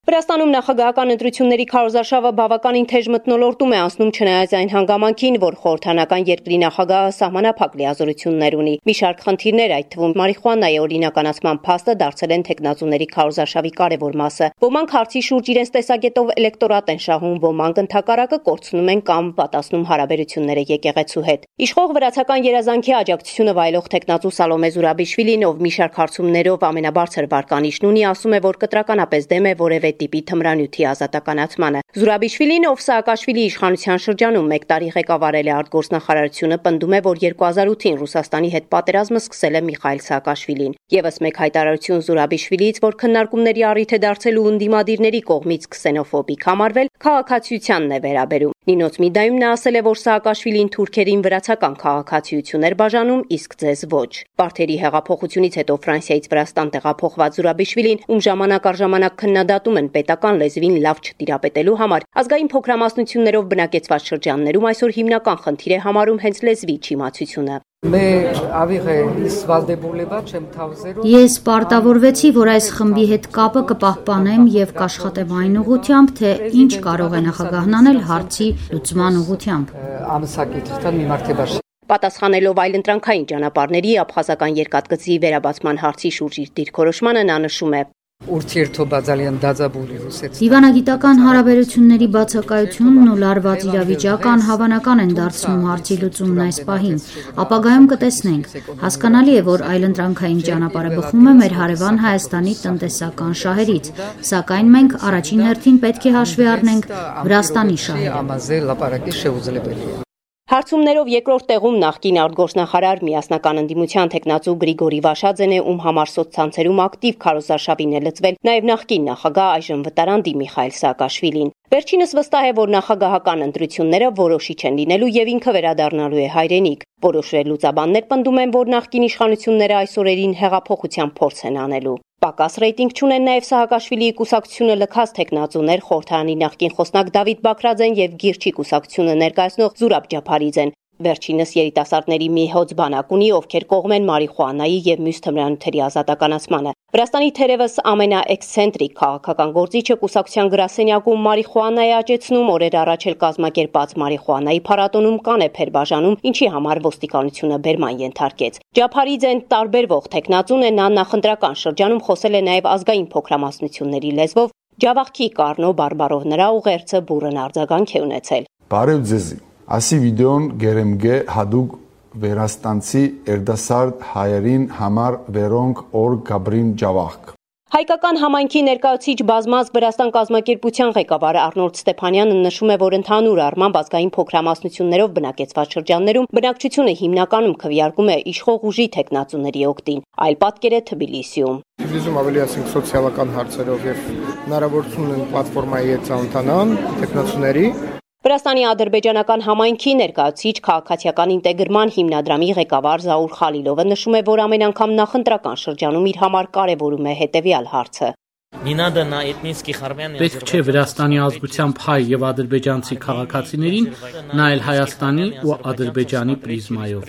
Վրաստանում նախագահական ընտրությունների քարոզարշավը բավականին թեժ մթնոլորտում է անցնում, չնայած այն հանգամանքին, որ խորհրդանական երկրի նախագահը սահմանափակ լիազորություններ ունի։ Մի շարք խնդիրներ, այդ թվում մարիխուանայի օրինականացման փաստը դարձել են թեկնածուների քարոզարշավի կարևոր մասը։ Ոմանք հարցի շուրջ իրենց տեսակետով էլեկտորատ են շահում, ոմանք ընդհակառակը կորցնում են կամ պատասնում հարաբերությունները եկեղեցու հետ։ Իշխող վրացական երազանքի աջակցությունը վայելող թեկնածու Սալոմե Զուրաբիշվիլին, ով մի շարք հարցումներով ամենաբարձր վարկանիշն ունի, ասում է, որ կտրականապես դեմ է որևէ տիպի թմրանյութի ազատականացմանը։ Զուրաբիշվիլին, ով Սաակաշվիլի իշխանության շրջանում 1 տարի ղեկավարել է արտգործնախարարությունը, պնդում է, որ 2008-ին Ռուսաստանի հետ պատերազմը սկսել է Միխայիլ Սաակաշվիլին։ Եվս մեկ հայտարարություն Զուրաբիշվիլիից, որ քննարկումների առիթ է դարձել ու ընդդիմադիրների կողմից քսենոֆոբիկ համարվել, քաղաքացիությանն է վերաբերում։ Նինոց Միդայում նա ասել է, որ Սաակաշվիլին թուրքերին վրացական քաղաքացիություն էր բաժանում, իսկ ձեզ ոչ։ Պարթերի հեղափոխությունից հետո Ֆրանսիայից Վրաստան տեղափոխված Զուրաբիշվիլին, ում ժամանակ առ ժամանակ քննադատում են պետական լեզվին լավ չտիրապետելու համար, ազգային փոքրամասնություններով բնակեցված շրջաններում այսօր հիմնական խնդիր է համարում հենց լեզվի չիմացությունը։ Ես պարտավորվեցի, որ այս խմբի հետ կապը կպահպանեմ եւ կաշխատեմ այն ուղղությամբ, թե ինչ կարող է նախագահն անել հարցի լուծման ուղղությամբ։ Պատասխանելով այլընտրանքային ճանապարհների աբխազական երկաթգծի վերաբացման հարցի շուրջ իր դիրքորոշմանը նա նշում է. Դիվանագիտական հարաբերությունների բացակայությունն ու լարված իրավիճակը անհավանական են դարձնում հարցի լուծումն այս պահին։ Ապագայում կտեսնենք։ Հասկանալի է, որ այլընտրանքային ճանապարհը բխում է մեր հարևան Հայաստանի տնտեսական շահերից, սակայն մենք առաջին հերթին պետք է հաշվի առնենք Վրաստանի շահերը։ Հարցումներով երկրորդ տեղում նախկին արտգործնախարար միասնական ընդդիմության թեկնածու Գրիգորի Վաշաձեն է, ում համար սոցցանցերում ակտիվ քարոզարշավին է լծվել նաև նախկին նախագահ այժմ վտարանդի Միխայիլ Սաակաշվիլին։ Վերջինս վստահ է, որ նախագահական ընտրությունները որոշիչ են լինելու եւ ինքը վերադառնալու է հայրենիք։ Որոշ լուծաբաններ պնդում են, որ նախկին իշխանությունները այս օրերին հեղափոխության փորձ են անելու։ Պակաս ռեյտինգ չունեն նաև Սաակաշվիլիի կուսակցությունը լքած թեկնածուներ խորհրդարանի նախկին խոսնակ Դավիթ Բաքրաձեն եւ Գիրչի կուսակցությունը ներկայացնող Զուրաբ Ջափարիձեն։ Վերջինս երիտասարդների մի հոծ բանակ ունի, ովքեր կողմ են մարիխուանայի եւ մյուս թմրանյութերի ազատականացմանը։ Վրաստանի թերևս ամենաէքսցենտրիկ քաղաքական գործիչը կուսակցության գրասենյակում մարիխուանա է աճեցնում, օրեր առաջ էլ կազմակերպած մարիխուանայի փառատոնում կանեփ էր բաժանում, ինչի համար ոստիկանությունը բերման ենթարկեց։ Ջափարիձեն տարբերվող թեկնածուն է, նա նախընտրական շրջանում խոսել է նաև ազգային փոքրամասնությունների լեզվով, Ջավախքի Կարնո բարբարով նրա ուղերձը բուռն արձագանք է ունեցել։ Բարև ձեզի։ Ասի վիդեոն գերեմգե հադուկ վերաստանցի երդասարդ հայերին համար վերոնք օր Գաբրին Ջավախք։ Հայկական համայնքի ներկայացուցիչ բազմազգ Վրաստան կազմակերպության ղեկավար Արնոլդ Ստեփանյանը նշում է, որ ընդհանուր առմամբ ազգային փոքրամասնություններով բնակեցված շրջաններում բնակչությունը հիմնականում քվեարկում է իշխող ուժի թեկնածուների օգտին, այլ պատկեր է Թբիլիսիում։ Թբիլիսիում ավելի ասենք սոցիալական հարցերով եւ հնարավորություն են պլատֆորմայի հետ ծանոթանան թեկնածուների։ Վրաստանի ադրբեջանական համայնքի ներկայացուցիչ քաղաքացիական ինտեգրման հիմնադրամի ղեկավար Զաուր Խալիլովը նշում է, որ ամեն անգամ նախընտրական շրջանում իր համար կարևորում է հետևյալ հարցը. Պետք չէ Վրաստանի ազգությամբ հայ եւ ադրբեջանցի քաղաքացիներին նայել Հայաստանի ու Ադրբեջանի պրիզմայով։